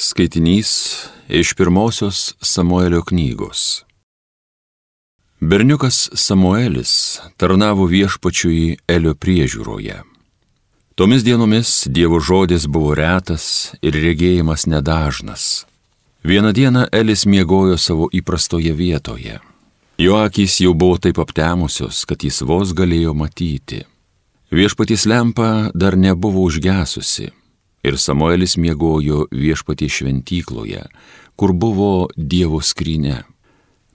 Skaitinys iš pirmosios Samuelio knygos. Berniukas Samuelis tarnavo viešpačiui Elio priežiūroje. Tomis dienomis Dievo žodis buvo retas ir regėjimas nedažnas. Vieną dieną Elis miegojo savo įprastoje vietoje. Jo akys jau buvo taip aptemusios, kad jis vos galėjo matyti. Viešpaties lempa dar nebuvo užgesusi. Ir Samuelis miegojo viešpaties šventykloje, kur buvo Dievo skrynia.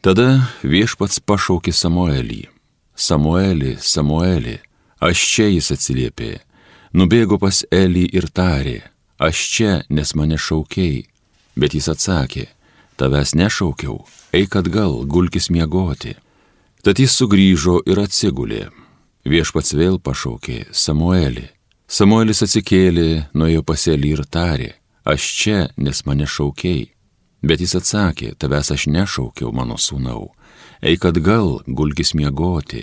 Tada viešpats pašaukė Samuelį. Samueli, Samueli, aš čia, jis atsiliepė. Nubėgo pas Elį ir tarė, aš čia, nes mane šaukei. Bet jis atsakė, tavęs nešaukiau, eik atgal, gulkis miegoti. Tad jis sugrįžo ir atsigulė. Viešpats vėl pašaukė, Samueli. Samuelis atsikėlė, nuėjo pas Elį ir tarė, aš čia, nes mane šaukei. Bet jis atsakė, tavęs aš nešaukiau, mano sūnau, eik atgal, gulkis miegoti.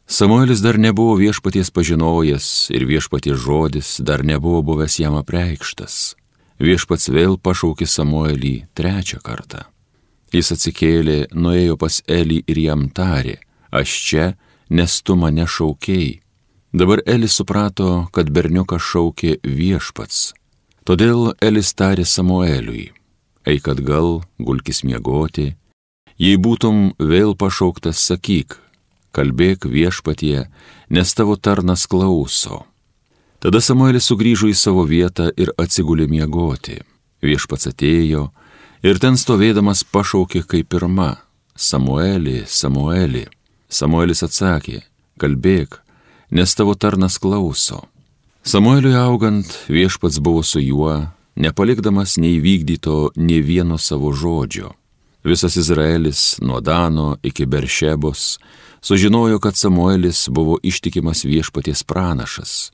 Samuelis dar nebuvo viešpaties pažinojęs ir viešpaties žodis dar nebuvo buvęs jam apreikštas. Viešpats vėl pašaukė Samuelį trečią kartą. Jis atsikėlė, nuėjo pas Elį ir jam tarė, aš čia, nes tu mane šaukei. Dabar Elis suprato, kad berniuką šaukė viešpats. Todėl Elis tarė Samueliui, eik atgal, gulkis miegoti. Jei būtum vėl pašauktas, sakyk, kalbėk viešpatie, nes tavo tarnas klauso. Tada Samuelis sugrįžo į savo vietą ir atsigulė miegoti. Viešpats atėjo ir ten stovėdamas pašaukė kaip pirma, Samueli, Samueli. Samuelis atsakė, kalbėk, nes tavo tarnas klauso. Samueliui augant, viešpats buvo su juo, nepalikdamas neįvykdyto nė vieno savo žodžio. Visas Izraelis, nuo Dano iki Beršebos, sužinojo, kad Samuelis buvo ištikimas viešpaties pranašas.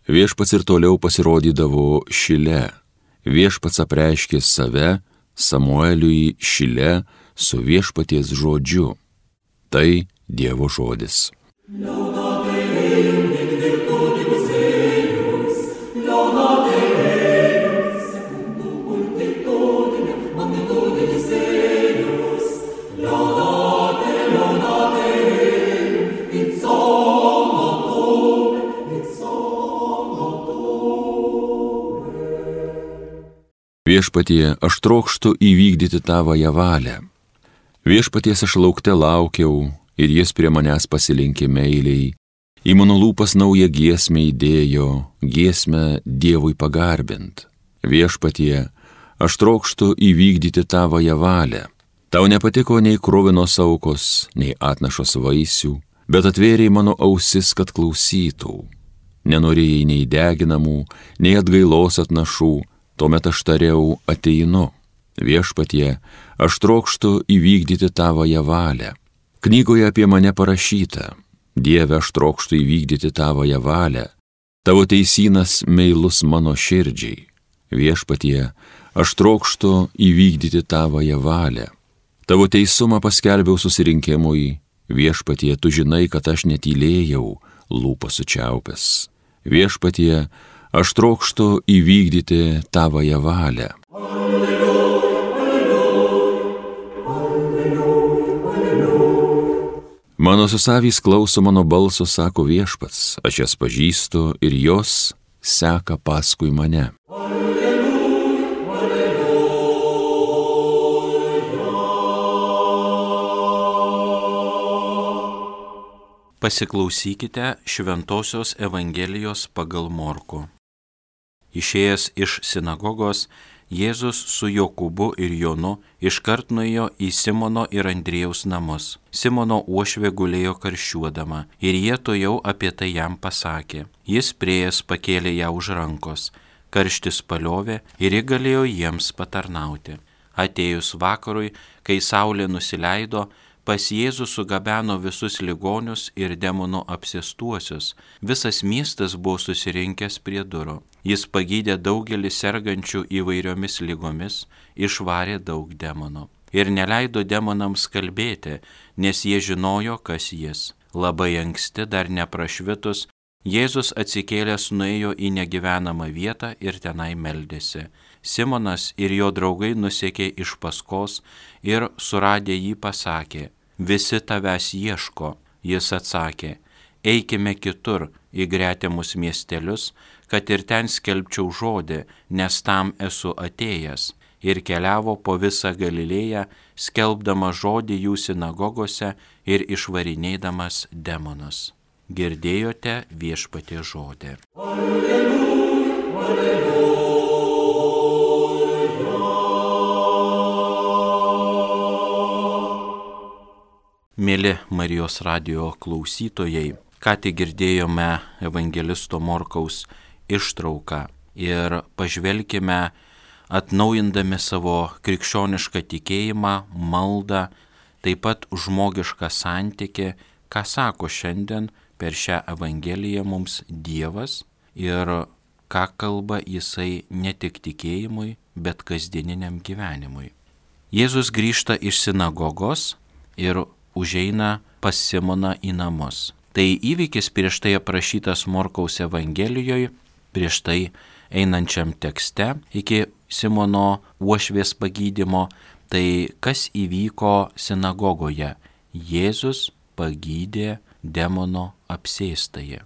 Viešpats ir toliau pasirodydavo Šile. Viešpats apreiškė save Samueliui Šile su viešpaties žodžiu. Tai Dievo žodis. Viešpatie, aš trokštu įvykdyti tavąją valią. Viešpaties aš laukte laukiau ir jis prie manęs pasilinkė meiliai. Į mano lūpas naują giesmę įdėjo, giesmę Dievui pagarbint. Viešpatie, aš trokštu įvykdyti tavąją valią. Tau nepatiko nei kruvinos aukos, nei atnašos vaisių, bet atvėrei mano ausis, kad klausytų. Nenorėjai nei deginamų, nei atgailos atnašų, tuomet aš tariau, ateinu. Viešpatie, aš trokštu įvykdyti tavąją valią. Knygoje apie mane parašyta, Dieve, aš trokštu įvykdyti tavąją valią. Tavo teisynas meilus mano širdžiai. Viešpatie, aš trokštu įvykdyti tavąją valią. Tavo teisumą paskelbiau susirinkimui. Viešpatie, tu žinai, kad aš netylėjau, lūpas sučiaupęs. Viešpatie, aš trokštu įvykdyti tavąją valią. Mano susavys klauso mano balso, sako viešpats, aš jas pažįstu ir jos seka paskui mane. Pasiklausykite Šventosios Evangelijos pagal Morkų. Išėjęs iš sinagogos, Jėzus su Jokūbu ir Jonu iškart nuėjo į Simono ir Andriejaus namus. Simono uošvė gulėjo karščiuodama ir jie tuojau apie tai jam pasakė. Jis priėjęs pakėlė ją už rankos, karštis paliovė ir ji galėjo jiems patarnauti. Atėjus vakarui, kai saulė nusileido, pas Jėzų sugabeno visus ligonius ir demonų apsėstuosius. Visas miestas buvo susirinkęs prie durų. Jis pagydė daugelį sergančių įvairiomis ligomis, išvarė daug demonų. Ir neleido demonams kalbėti, nes jie žinojo, kas jis. Labai anksti, dar neprašvitus, Jėzus atsikėlęs nuėjo į negyvenamą vietą ir tenai meldėsi. Simonas ir jo draugai nusekė iš paskos ir suradę jį pasakė: visi tavęs ieško. Jis atsakė: eikime kitur į gretimus miestelius, kad ir ten skelbčiau žodį, nes tam esu atėjęs. Ir keliavo po visą Galilėją, skelbdamas žodį jų sinagogose ir išvarinėdamas demonus. Girdėjote Viešpaties žodį. Alleluja, alleluja. Mėly Marijos radijo klausytojai, ką tik girdėjome evangelisto Morkaus ištrauką ir pažvelkime, atnaujindami savo krikščionišką tikėjimą, maldą, taip pat žmogišką santykį, ką sako šiandien per šią Evangeliją mums Dievas ir ką kalba Jisai ne tik tikėjimui, bet kasdieniniam gyvenimui. Jėzus grįžta iš sinagogos ir užeina pas Simoną į namus. Tai įvykis prieš tai aprašytas Morkaus Evangelijoje, prieš tai einančiam tekste iki Simono uošvės pagydymo. Tai kas įvyko sinagogoje? Jėzus pagydė demono apsėstąjį.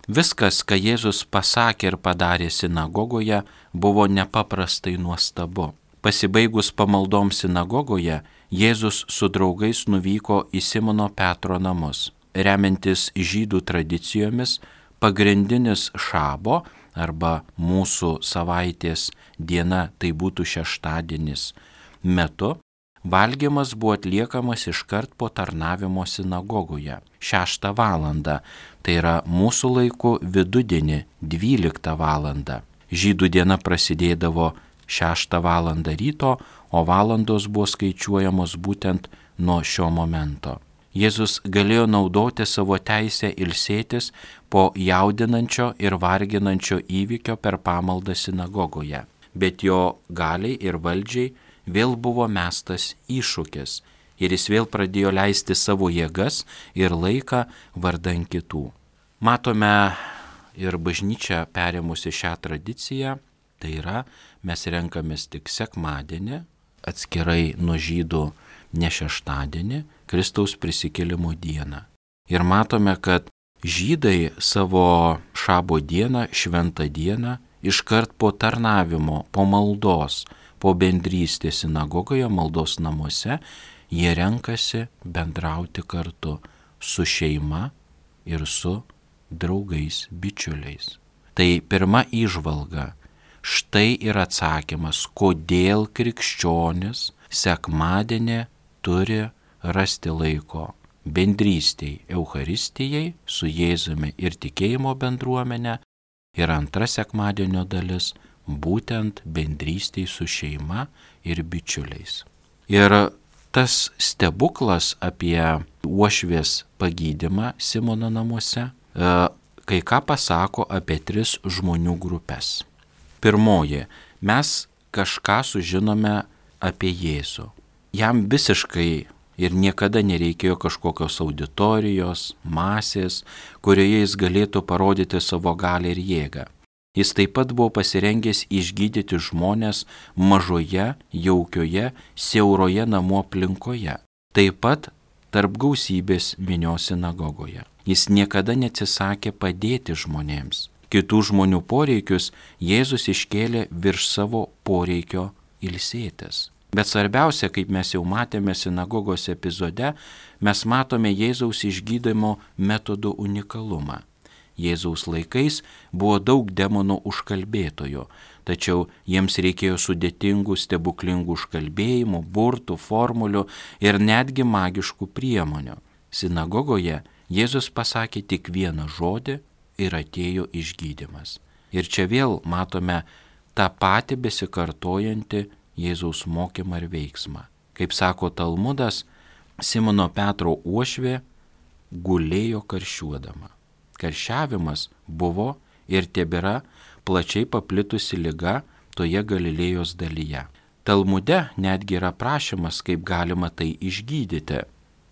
Viskas, ką Jėzus pasakė ir padarė sinagogoje, buvo nepaprastai nuostabu. Pasibaigus pamaldoms sinagogoje, Jėzus su draugais nuvyko į Simono Petro namus. Remiantis žydų tradicijomis, pagrindinis šabo arba mūsų savaitės diena, tai būtų šeštadienis, metu valgymas buvo atliekamas iškart po tarnavimo sinagogoje 6 valandą, tai yra mūsų laiku vidudienį 12 valandą. Žydų diena prasidėdavo 6 valandą ryto, o valandos buvo skaičiuojamos būtent nuo šio momento. Jėzus galėjo naudoti savo teisę ilsėtis po jaudinančio ir varginančio įvykio per pamaldą sinagogoje, bet jo galiai ir valdžiai vėl buvo mestas iššūkis ir jis vėl pradėjo leisti savo jėgas ir laiką vardan kitų. Matome ir bažnyčia perėmusi šią tradiciją, tai yra mes renkamės tik sekmadienį, atskirai nuo žydų ne šeštadienį, Kristaus prisikėlimo dieną. Ir matome, kad žydai savo šabo dieną, šventą dieną, iškart po tarnavimo, po maldos, po bendrystės sinagogoje, maldos namuose, jie renkasi bendrauti kartu su šeima ir su draugais, bičiuliais. Tai pirma įžvalga. Štai ir atsakymas, kodėl krikščionis sekmadienį turi rasti laiko bendrystei, Eucharistijai su Jėzumi ir tikėjimo bendruomenė. Ir antra sekmadienio dalis būtent bendrystei su šeima ir bičiuliais. Ir tas stebuklas apie uošvės pagydymą Simono namuose kai ką pasako apie 3 žmonių grupės. Pirmoji, mes kažką sužinome apie Jėzų. Jam visiškai ir niekada nereikėjo kažkokios auditorijos, masės, kurioje jis galėtų parodyti savo galią ir jėgą. Jis taip pat buvo pasirengęs išgydyti žmonės mažoje, jaukioje, siauroje namų aplinkoje. Taip pat tarp gausybės minios sinagogoje. Jis niekada neatsisakė padėti žmonėms. Kitų žmonių poreikius Jėzus iškėlė virš savo poreikio ilsėtis. Bet svarbiausia, kaip mes jau matėme sinagogos epizode, mes matome Jėzaus išgydymo metodų unikalumą. Jėzaus laikais buvo daug demonų užkalbėtojų, tačiau jiems reikėjo sudėtingų, stebuklingų užkalbėjimų, burtų, formulių ir netgi magiškų priemonių. Sinagogoje Jėzus pasakė tik vieną žodį ir atėjo išgydymas. Ir čia vėl matome tą patį besikartojantį Jėzaus mokymą ir veiksmą. Kaip sako Talmudas, Simono Petro uošvė gulėjo karščiuodama. Karščiavimas buvo ir tebėra plačiai paplitusi liga toje Galilėjos dalyje. Talmude netgi yra prašymas, kaip galima tai išgydyti,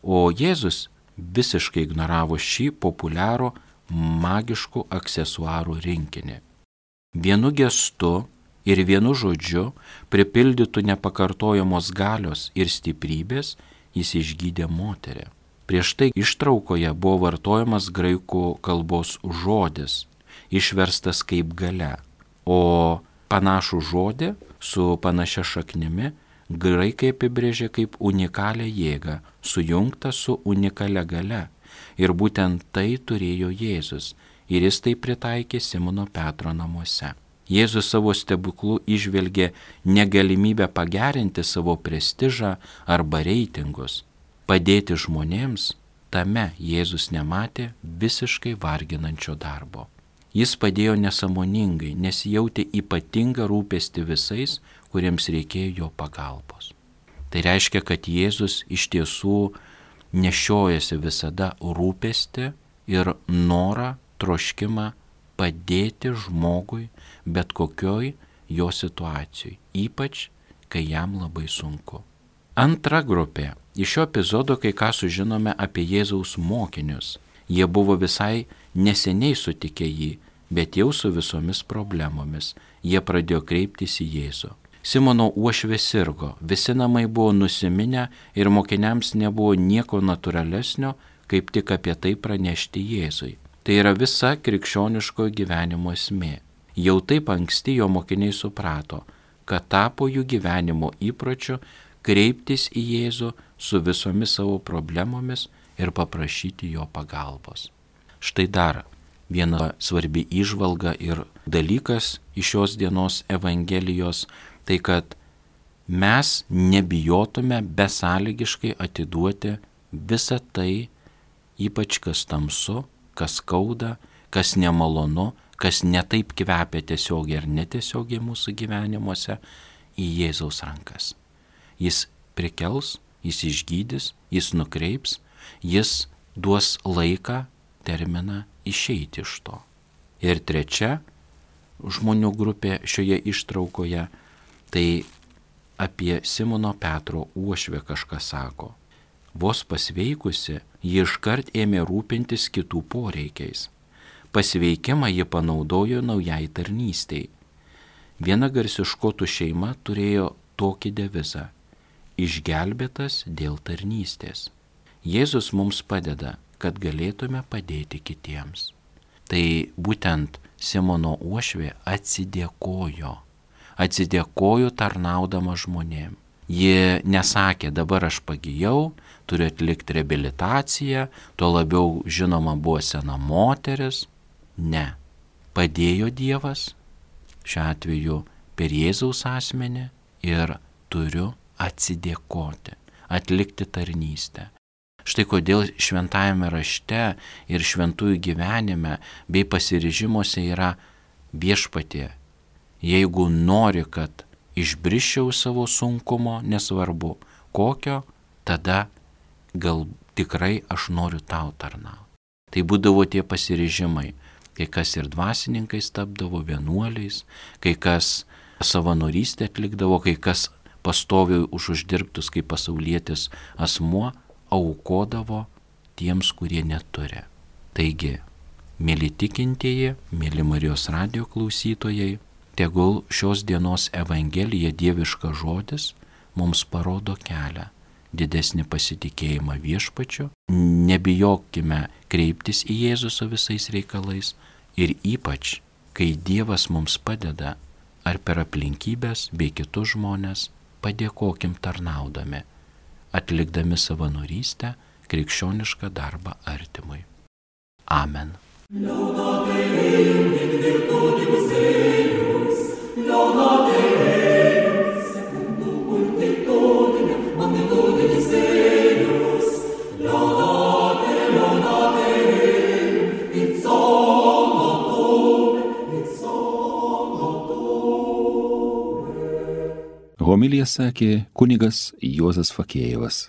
o Jėzus visiškai ignoravo šį populiarų magiškų aksesuarų rinkinį. Vienu gestu ir vienu žodžiu, pripildytų nepakartojamos galios ir stiprybės, jis išgydė moterį. Prieš tai ištraukoje buvo vartojamas graikų kalbos žodis, išverstas kaip galia, o panašų žodį su panašia šaknimi graikai apibrėžė kaip unikalią jėgą, sujungtą su unikalia galia. Ir būtent tai turėjo Jėzus, ir jis tai pritaikė Simono Petro namuose. Jėzus savo stebuklų išvelgė negalimybę pagerinti savo prestižą arba reitingus. Padėti žmonėms, tame Jėzus nematė visiškai varginančio darbo. Jis padėjo nesąmoningai, nes jautė ypatingą rūpestį visais, kuriems reikėjo jo pagalbos. Tai reiškia, kad Jėzus iš tiesų nešiojasi visada rūpestį ir norą, troškimą padėti žmogui bet kokioj jo situacijoj, ypač kai jam labai sunku. Antra grupė. Iš šio epizodo kai ką sužinome apie Jėzaus mokinius. Jie buvo visai neseniai sutikę jį, bet jau su visomis problemomis. Jie pradėjo kreiptis į Jėzų. Simono uošvė sirgo, visi namai buvo nusiminę ir mokiniams nebuvo nieko natūralesnio, kaip tik apie tai pranešti Jėzui. Tai yra visa krikščioniško gyvenimo esmė. Jau taip anksti jo mokiniai suprato, kad tapo jų gyvenimo įpročiu kreiptis į Jėzų su visomis savo problemomis ir paprašyti jo pagalbos. Štai dar viena svarbi įžvalga ir dalykas iš šios dienos Evangelijos, tai kad mes nebijotume besąlygiškai atiduoti visą tai, ypač kas tamsu, kas skauda, kas nemalonu, kas netaip kvepia tiesiogiai ar netiesiogiai mūsų gyvenimuose, į Jėzaus rankas. Jis prikels, jis išgydys, jis nukreips, jis duos laiką, terminą išeiti iš to. Ir trečia žmonių grupė šioje ištraukoje, tai apie Simono Petro uošvę kažką sako. Vos pasveikusi, ji iškart ėmė rūpintis kitų poreikiais. Pasveikimą ji panaudojo naujai tarnystei. Viena garsi škotų šeima turėjo tokį devizą – išgelbėtas dėl tarnystės. Jėzus mums padeda, kad galėtume padėti kitiems. Tai būtent Simono uošvė atsidėkojo tarnaudama žmonėm. Ji nesakė, dabar aš pagijau, turiu atlikti reabilitaciją, tuo labiau žinoma buvo sena moteris. Ne, padėjo Dievas, šiuo atveju per Jėzaus asmenį, ir turiu atsidėkoti, atlikti tarnystę. Štai kodėl šventajame rašte ir šventųjų gyvenime bei pasiryžimuose yra viešpatie. Jeigu nori, kad išbriščiau savo sunkumo, nesvarbu kokio, tada gal tikrai aš noriu tau tarnauti. Tai būdavo tie pasiryžimai. Kai kas ir dvasininkais tapdavo, vienuoliais, kai kas savanorystę atlikdavo, kai kas pastoviai už uždirbtus kaip pasaulietis asmuo aukodavo tiems, kurie neturi. Taigi, mėly tikintieji, mėly Marijos radijo klausytojai, tegul šios dienos Evangelija, dieviškas žodis, mums parodo kelią, didesnį pasitikėjimą viešpačiu, nebijokime kreiptis į Jėzų su visais reikalais ir ypač, kai Dievas mums padeda, ar per aplinkybės bei kitus žmonės, padėkokim tarnaudami, atlikdami savanorystę, krikščionišką darbą artimui. Amen. Homiliją sakė kunigas Juozas Fakėjevas.